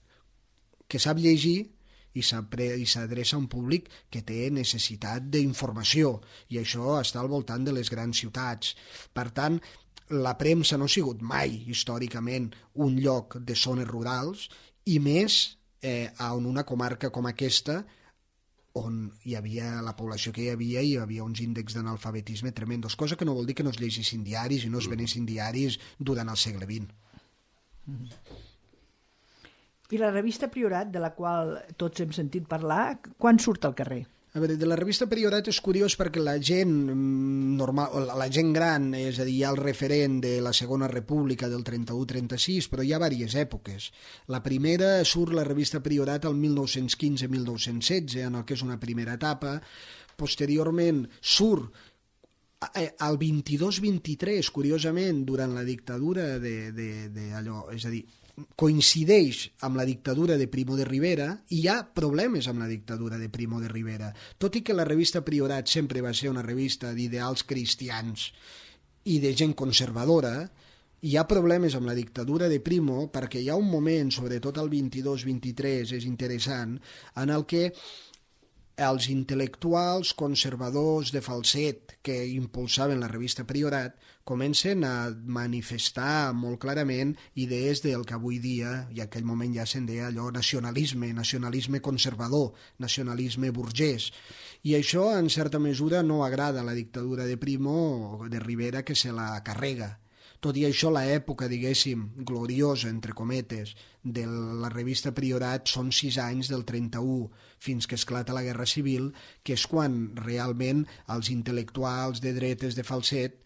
que sap llegir i s'adreça a un públic que té necessitat d'informació, i això està al voltant de les grans ciutats. Per tant, la premsa no ha sigut mai, històricament, un lloc de zones rurals, i més en una comarca com aquesta, on hi havia la població que hi havia uns índexs d'analfabetisme tremendos, cosa que no vol dir que no es llegissin diaris i no es venessin diaris durant el segle XX. I la revista Priorat, de la qual tots hem sentit parlar, quan surt al carrer? A veure, de la revista Priorat és curiós perquè la gent normal, la gent gran, és a dir, hi ha el referent de la Segona República del 31-36, però hi ha diverses èpoques. La primera surt la revista Priorat el 1915-1916, en el que és una primera etapa. Posteriorment surt el 22-23, curiosament, durant la dictadura d'allò, és a dir, coincideix amb la dictadura de Primo de Rivera, i hi ha problemes amb la dictadura de Primo de Rivera. Tot i que la revista Priorat sempre va ser una revista d'ideals cristians i de gent conservadora, hi ha problemes amb la dictadura de Primo, perquè hi ha un moment, sobretot el 22-23, és interessant, en el que els intel·lectuals conservadors de falset que impulsaven la revista Priorat comencen a manifestar molt clarament idees del que avui dia, i en aquell moment ja se'n deia allò nacionalisme conservador, nacionalisme burgès. I això, en certa mesura, no agrada a la dictadura de Primo o de Rivera, que se la carrega. Tot i això, l'època, diguéssim, gloriosa, entre cometes, de la revista Priorat són 6 anys, del 31 fins que esclata la Guerra Civil, que és quan realment els intel·lectuals de dretes de falset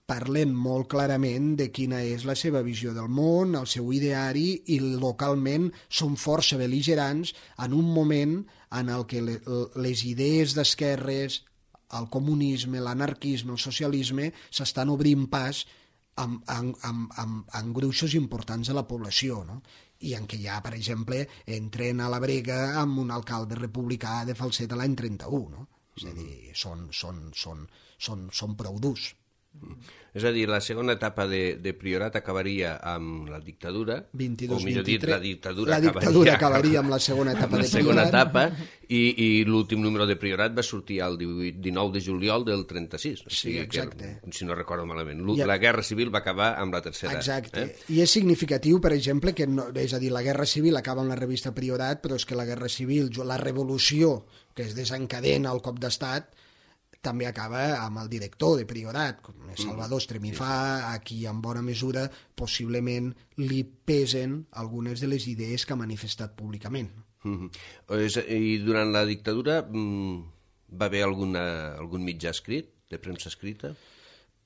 parlen molt clarament de quina és la seva visió del món, el seu ideari, i localment són força bel·ligerants en un moment en el que les idees d'esquerres, el comunisme, l'anarquisme, el socialisme s'estan obrint pas en gruixos importants de la població, no? I en què ja, per exemple, entren a la brega amb un alcalde republicà de Falset l'any 31, no? És a dir, són prou durs. És a dir, la segona etapa de Priorat acabaria amb la dictadura, 22, o millor dit, 23, la dictadura acabaria amb la segona etapa de Priorat. I l'últim número de Priorat va sortir el 19 de juliol del 36. Sí, exacte. Si no recordo malament. La Guerra Civil va acabar amb la tercera. Exacte. I és significatiu, per exemple, que és a dir, la Guerra Civil acaba amb la revista Priorat, però és que la Guerra Civil, la revolució que es desencadena al cop d'estat, també acaba amb el director de Priorat, com és Salvador Estremifà, a qui en bona mesura possiblement li pesen algunes de les idees que ha manifestat públicament. I durant la dictadura va haver algun mitjà escrit, de premsa escrita?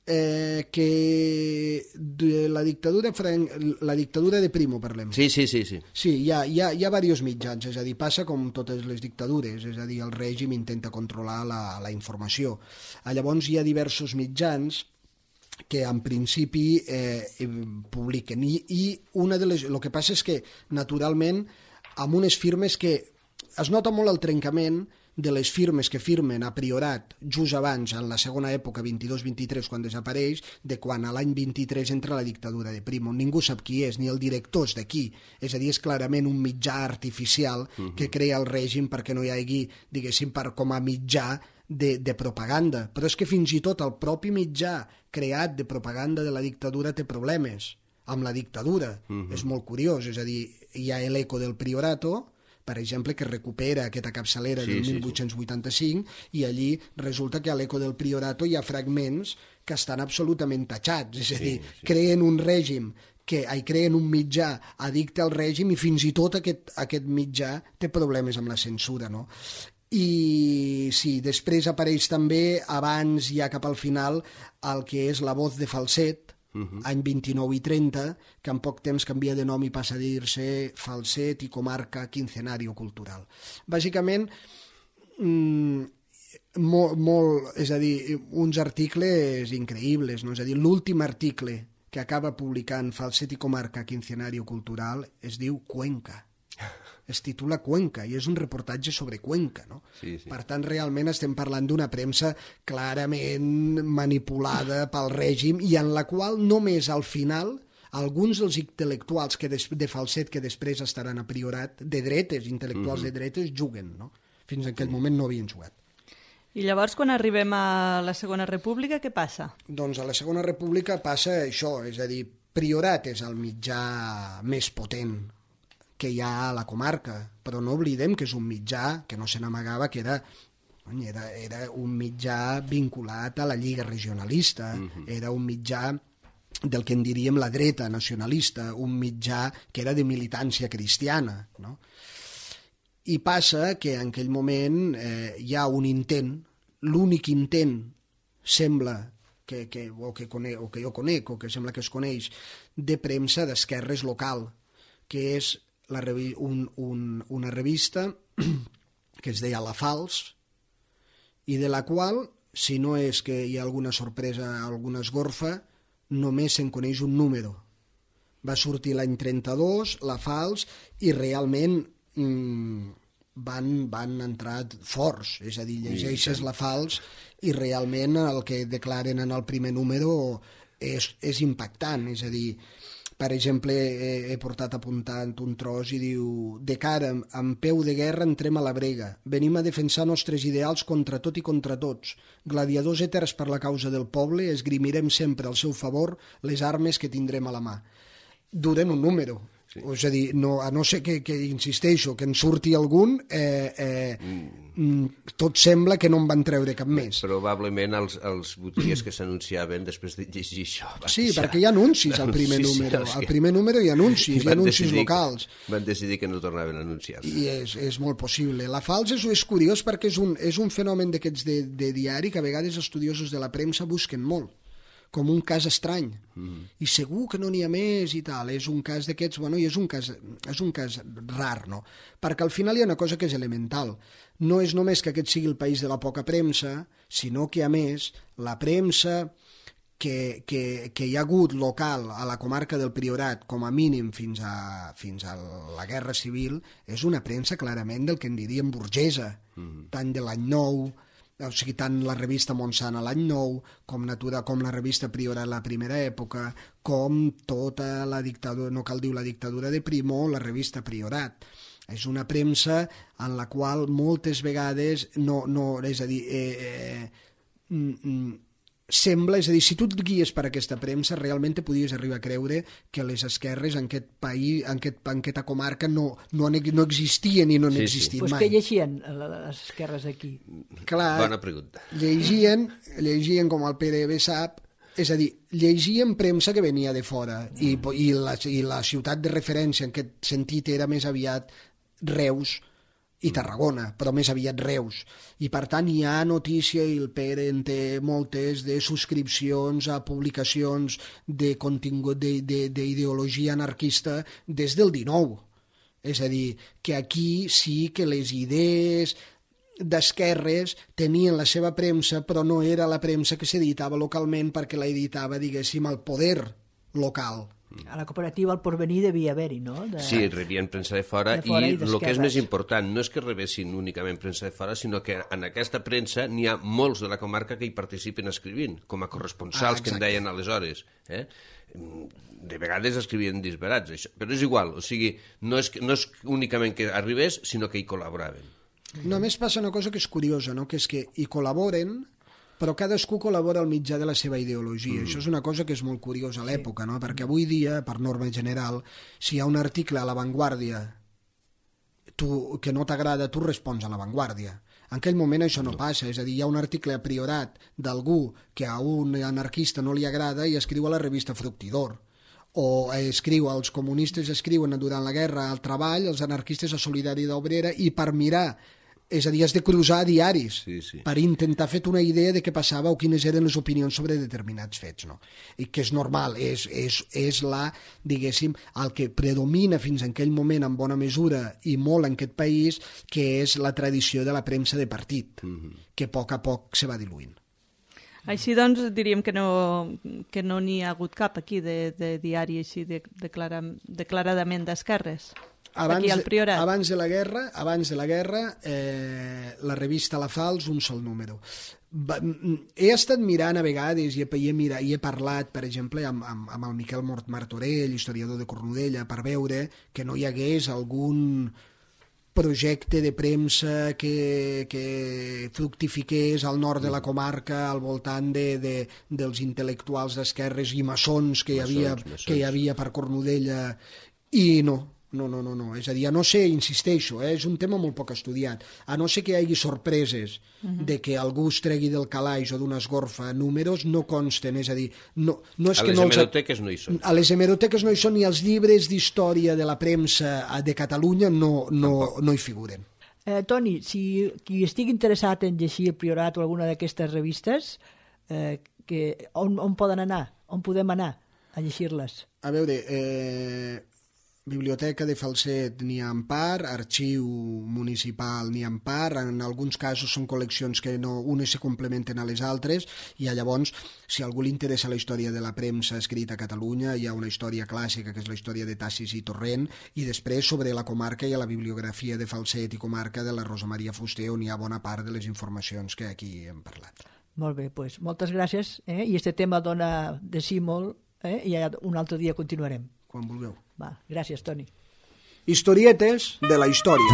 Que de la dictadura de Primo parlem. Sí. Sí, hi ha diversos mitjans, és a dir, passa com totes les dictadures, és a dir, el règim intenta controlar la informació. Llavors hi ha diversos mitjans que en principi publiquen, i una de les... El que passa és que, naturalment, amb unes firmes que es nota molt el trencament de les firmes que firmen a Priorat just abans, en la segona època, 22-23, quan desapareix, de quan a l'any 23 entra la dictadura de Primo. Ningú sap qui és, ni el director és d'aquí. És a dir, és clarament un mitjà artificial que crea el règim perquè no hi hagi, diguéssim, com a mitjà de propaganda. Però és que fins i tot el propi mitjà creat de propaganda de la dictadura té problemes amb la dictadura. És molt curiós, és a dir, hi ha l'Eco del Priorato, per exemple, que recupera aquesta capçalera del 1885, i allí resulta que a l'Eco del Priorato hi ha fragments que estan absolutament tatxats, és a dir, creen un règim, creen un mitjà addicte al règim, i fins i tot aquest mitjà té problemes amb la censura, no? I sí, després apareix també, abans ja cap al final, el que és La Voz de Falset, any 29 i 30, que en poc temps canvia de nom i passa a dir-se Falset i Comarca Quincenario Cultural. Bàsicament, és a dir, uns articles increïbles, no? És a dir, l'últim article que acaba publicant Falset i Comarca Quincenario Cultural es diu Cuenca. Es titula Cuenca, i és un reportatge sobre Cuenca, no? Per tant, realment estem parlant d'una premsa clarament manipulada pel règim, i en la qual només al final alguns dels intel·lectuals de Falset que després estaran a Priorat, de dretes, intel·lectuals de dretes, juguen, no? Fins en aquell moment no havien jugat. I llavors, quan arribem a la Segona República, què passa? Doncs a la Segona República passa això, és a dir, Priorat és el mitjà més potent que hi ha a la comarca, però no oblidem que és un mitjà que no se n'amagava, que era un mitjà vinculat a la Lliga Regionalista, era un mitjà del que en diríem la dreta nacionalista, un mitjà que era de militància cristiana, no? I passa que en aquell moment hi ha un intent, l'únic intent, sembla, que jo conec, o que sembla que es coneix, de premsa d'esquerres local, que és una revista que es deia La Fals, i de la qual, si no és que hi ha alguna sorpresa, alguna esgorfa, només se'n coneix un número. Va sortir l'any 32, La Fals, i realment van entrar forts, és a dir, llegeixes La Fals i realment el que declaren en el primer número és impactant, és a dir, per exemple, he portat apuntant un tros i diu: de cara, amb peu de guerra entrem a la brega, venim a defensar nostres ideals contra tot i contra tots. Gladiadors eterns per la causa del poble, esgrimirem sempre al seu favor les armes que tindrem a la mà. Duren un número. És a dir, a no ser que insisteixo, que en surti algun, tot sembla que no en van treure cap més. Probablement els botiguers que s'anunciaven després de llegir això... Sí, perquè hi ha anuncis al primer número. Al primer número hi ha anuncis locals. Van decidir que no tornaven a anunciar-se. I és molt possible. La Fals és curiós perquè és un fenomen d'aquests de diari que a vegades estudiosos de la premsa busquen molt. com un cas estrany. I segur que no n'hi ha més i tal. És un cas d'aquests, bueno, i és un cas rar, no? Perquè al final hi ha una cosa que és elemental. No és només que aquest sigui el país de la poca premsa, sinó que, a més, la premsa que hi ha hagut local a la comarca del Priorat, com a mínim fins a la Guerra Civil, és una premsa clarament del que en diríem burgesa, tant de l'any 9, o sigui, tant la revista Montsant a l'any 9, com la revista Priorat a la primera època, com tota la dictadura, no cal dir la dictadura de Primo, la revista Priorat. És una premsa en la qual moltes vegades és a dir, sembla, és a dir, si tu et guies per aquesta premsa, realment te podies arribar a creure que les esquerres en aquest país, en aquesta comarca, no existien i no han existit mai. Pues què llegien les esquerres aquí? Clar, bona pregunta. Llegien com el Pere bé sap, és a dir, llegien premsa que venia de fora i la ciutat de referència en aquest sentit era més aviat Reus i Tarragona, però més aviat Reus. I per tant hi ha notícia, i el Pere en té moltes, de subscripcions a publicacions de contingut d'ideologia anarquista des del 19. És a dir, que aquí sí que les idees d'esquerres tenien la seva premsa, però no era la premsa que s'editava localment perquè la editava, diguéssim, el poder local. A la cooperativa El Porvenir devia haver-hi, no? Sí, rebien premsa de fora i el que és més important no és que rebessin únicament premsa de fora, sinó que en aquesta premsa n'hi ha molts de la comarca que hi participen escrivint, com a corresponsals que en deien aleshores. De vegades escrivien disbarats, això. Però és igual, o sigui, no és únicament que arribés, sinó que hi col·laboraven. Només passa una cosa que és curiosa, no? Que és que hi col·laboren, però cadascú col·labora al mitjà de la seva ideologia. Això és una cosa que és molt curiosa a l'època, no? Perquè avui dia, per norma general, si hi ha un article a La Vanguardia que no t'agrada, tu respons a La Vanguardia. En aquell moment això no passa, és a dir, hi ha un article a Priorat d'algú que a un anarquista no li agrada i escriu a la revista Fructidor. O els comunistes escriuen durant la guerra al Treball, els anarquistes a Solidaritat Obrera, i per mirar, és a dir, has de cruzar diaris per intentar fer una idea de què passava o quines eren les opinions sobre determinats fets, no? I que és normal, és diguéssim, el que predomina fins en aquell moment en bona mesura i molt en aquest país, que és la tradició de la premsa de partit, que a poc se va diluint. Així doncs diríem que no n'hi ha hagut cap aquí de diari així declaradament d'esquerres. Abans de la guerra, la revista La Falç, un sol número. He estat mirant a vegades i he parlat, per exemple, amb el Miquel Martorell, historiador de Cornudella, per veure que no hi hagués algun projecte de premsa que fructifiqués al nord de la comarca al voltant dels intel·lectuals d'esquerres i maçons que hi havia per Cornudella, i no, és a dir, a no ser, insisteixo, és un tema molt poc estudiat, a no ser que hi hagi sorpreses de que algú es tregui del calaix o d'una esgorfa números, no consten, és a dir, no és que a les hemeroteques no hi són. A les hemeroteques no hi són, ni els llibres d'història de la premsa de Catalunya no hi figuren. Toni, si qui estigui interessat en llegir el Priorat o alguna d'aquestes revistes, on poden anar? On podem anar a llegir-les? A veure, Biblioteca de Falset n'hi ha en part, Arxiu Municipal n'hi ha en part, en alguns casos són col·leccions que unes se complementen a les altres, i llavors, si a algú li interessa la història de la premsa escrita a Catalunya, hi ha una història clàssica, que és la història de Tassis i Torrent, i després sobre la comarca hi ha la bibliografia de Falset i comarca de la Rosa Maria Fuster, on hi ha bona part de les informacions que aquí hem parlat. Molt bé, doncs moltes gràcies, i este tema dona de sí molt, i un altre dia continuarem. Quan vulgueu. Va, gràcies, Toni. Historietes de la història.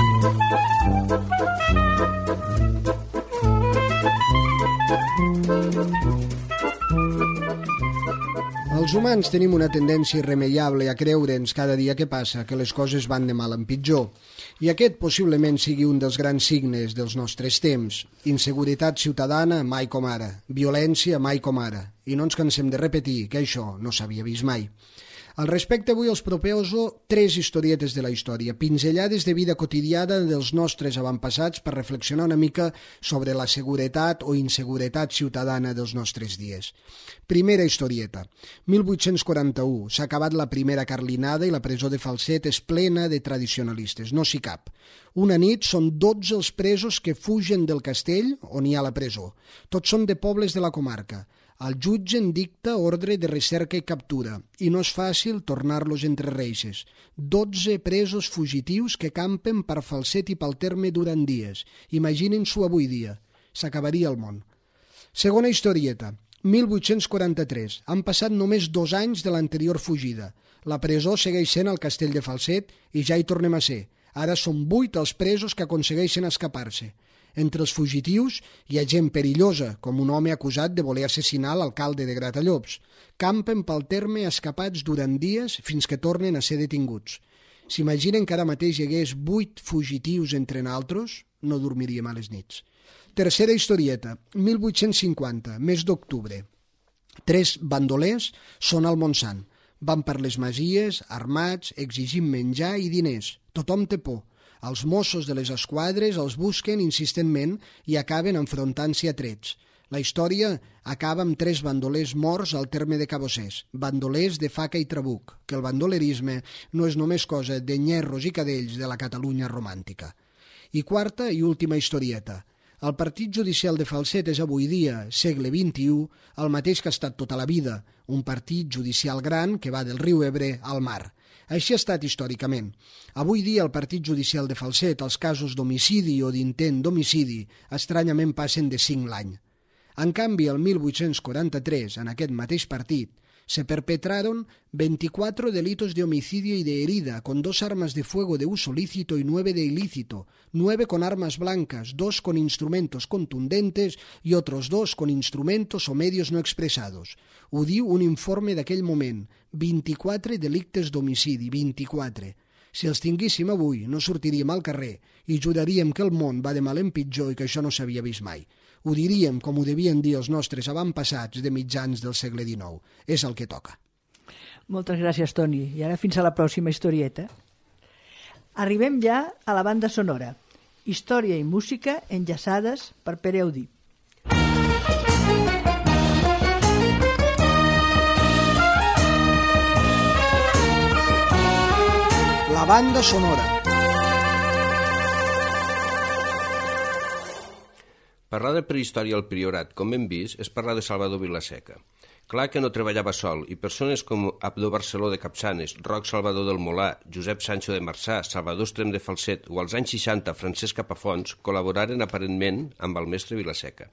Els humans tenim una tendència irremeiable a creure'ns cada dia que passa que les coses van de mal en pitjor. I aquest possiblement sigui un dels grans signes dels nostres temps. Inseguretat ciutadana mai com ara, violència mai com ara. I no ens cansem de repetir que això no s'havia vist mai. Al respecte, avui els proposo 3 historietes de la història, pinzellades de vida quotidiana dels nostres avantpassats per reflexionar una mica sobre la seguretat o inseguretat ciutadana dels nostres dies. Primera historieta. 1841. S'ha acabat la primera carlinada i la presó de Falset és plena de tradicionalistes, no s'hi cap. Una nit són 12 els presos que fugen del castell on hi ha la presó. Tots són de pobles de la comarca. El jutge en dicta ordre de recerca i captura i no és fàcil tornar-los entre reixes. 12 presos fugitius que campen per Falset i pel terme durant dies. Imaginin-s'ho avui dia. S'acabaria el món. Segona historieta. 1843. Han passat només 2 anys de l'anterior fugida. La presó segueix sent el castell de Falset i ja hi tornem a ser. Ara són 8 els presos que aconsegueixen escapar-se. Entre els fugitius hi ha gent perillosa, com un home acusat de voler assassinar l'alcalde de Gratallops. Campen pel terme escapats durant dies fins que tornen a ser detinguts. S'imaginen que ara mateix hi hagués 8 fugitius entre naltros? No dormiríem a les nits. Tercera historieta, 1850, mes d'octubre. 3 bandolers són al Montsant. Van per les masies, armats, exigint menjar i diners. Tothom té por. Els Mossos de les esquadres els busquen insistentment i acaben enfrontant-s'hi a trets. La història acaba amb 3 bandolers morts al terme de Cabossers, bandolers de faca i trabuc, que el bandolerisme no és només cosa de nyerros i cadells de la Catalunya romàntica. I quarta i última historieta. El partit judicial de Falset és avui dia, segle XXI, el mateix que ha estat tota la vida, un partit judicial gran que va del riu Ebre al mar. Així ha estat històricament. Avui dia, al partit judicial de Falset, els casos d'homicidi o d'intent d'homicidi estranyament passen de 5 l'any. En canvi, el 1843, en aquest mateix partit, se perpetraron 24 delitos de homicidio y de herida, con 2 armas de fuego de uso lícito y 9 de ilícito, 9 con armas blancas, 2 con instrumentos contundentes y otros 2 con instrumentos o medios no expresados. Ho diu un informe d'aquell moment. 24 delictes d'homicidi, 24. Si els tinguéssim avui, no sortiríem al carrer i juraríem que el món va de mal en pitjor i que això no s'havia vist mai. Ho diríem com ho devien dir els nostres avantpassats de mitjans del segle XIX. És el que toca. Moltes gràcies, Toni. I ara fins a la pròxima historieta. Arribem ja a la banda sonora. Història i música enllaçades per Pere Audí. La banda sonora. Parlar de prehistòria al Priorat, com hem vist, és parlar de Salvador Vilaseca. Clar que no treballava sol, i persones com Abdó Barceló de Capçanes, Roc Salvador del Molà, Josep Sancho de Marçà, Salvador Estrem de Falset o als anys 60 Francesc Capafons col·laboraren aparentment amb el mestre Vilaseca.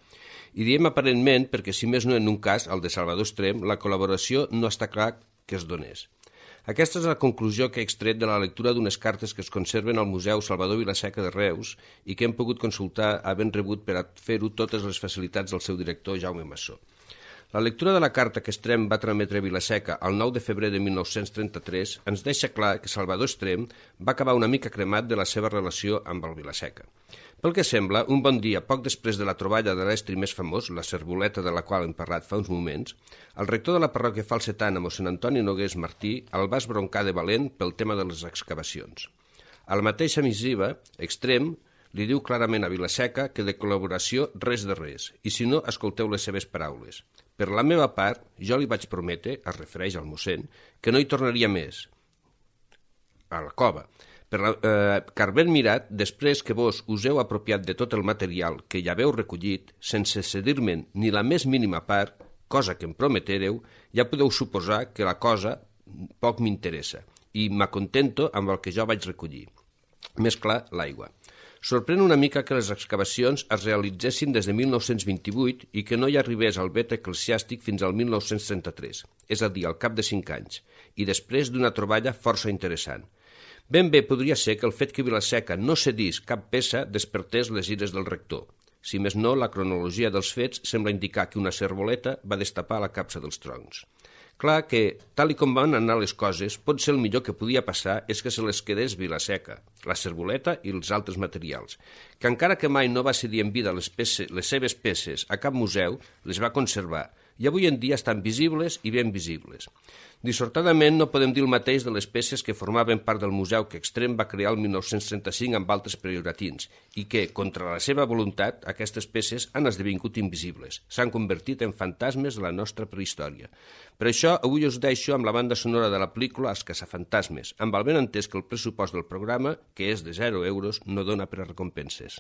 I diem aparentment perquè, si més no en un cas, el de Salvador Estrem, la col·laboració no està clar que es donés. Aquesta és la conclusió que he extret de la lectura d'unes cartes que es conserven al Museu Salvador Vilaseca de Reus i que hem pogut consultar havent rebut per a fer-ho totes les facilitats del seu director Jaume Massó. La lectura de la carta que Estrem va trametre a Vilaseca el 9 de febrer de 1933 ens deixa clar que Salvador Estrem va acabar una mica cremat de la seva relació amb el Vilaseca. Pel que sembla, un bon dia, poc després de la troballa de l'estri més famós, la Cervoleta de la qual hem parlat fa uns moments, el rector de la parròquia falsetana, mossèn Antoni Nogués Martí, el va esbroncar de valent pel tema de les excavacions. A la mateixa missiva, Estrem li diu clarament a Vilaseca que de col·laboració res de res, i si no, escolteu les seves paraules. Per la meva part, jo li vaig prometre, es refereix al mossèn, que no hi tornaria més a la cova, car ben mirat, després que vos us heu apropiat de tot el material que ja haveu recollit, sense cedir-me'n ni la més mínima part, cosa que em prometereu, ja podeu suposar que la cosa poc m'interessa i m'acontento amb el que jo vaig recollir. Més clar, l'aigua. Sorprèn una mica que les excavacions es realitzessin des de 1928 i que no hi arribés al vet eclesiàstic fins al 1933, és a dir, al cap de 5 anys, i després d'una troballa força interessant. Ben bé podria ser que el fet que Vilaseca no cedís cap peça despertés les ires del rector. Si més no, la cronologia dels fets sembla indicar que una cervoleta va destapar la capsa dels troncs. Clar que, tal com van anar les coses, pot ser el millor que podia passar és que se les quedés Vilaseca, la cervoleta i els altres materials, que encara que mai no va cedir en vida les seves peces a cap museu, les va conservar i avui en dia estan visibles i ben visibles. Dissortadament no podem dir el mateix de les peces que formaven part del museu que Extrem va crear el 1935 amb altres prioratins i que, contra la seva voluntat, aquestes peces han esdevingut invisibles, s'han convertit en fantasmes de la nostra prehistòria. Per això, avui us deixo amb la banda sonora de la pel·lícula Els caçafantasmes, amb el benentès que el pressupost del programa, que és de 0 euros, no dona per a recompenses.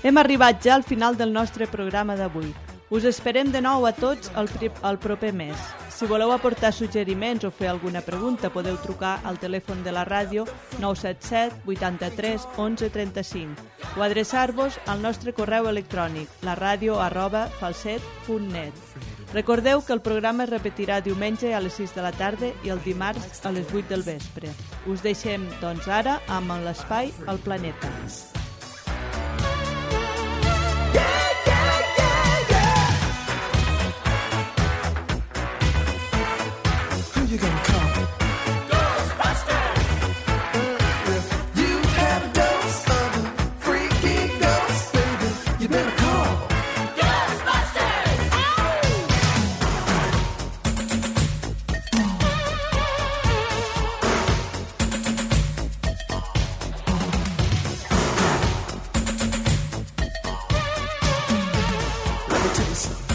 Hem arribat ja al final del nostre programa d'avui. Us esperem de nou a tots el proper mes. Si voleu aportar suggeriments o fer alguna pregunta, podeu trucar al telèfon de la ràdio 977 83 11 35 o adreçar-vos al nostre correu electrònic laradio@falset.net. Recordeu que el programa es repetirà diumenge a les 6 de la tarda i el dimarts a les 8 del vespre. Us deixem, doncs, ara amb l'espai al planeta. Let me tell you something.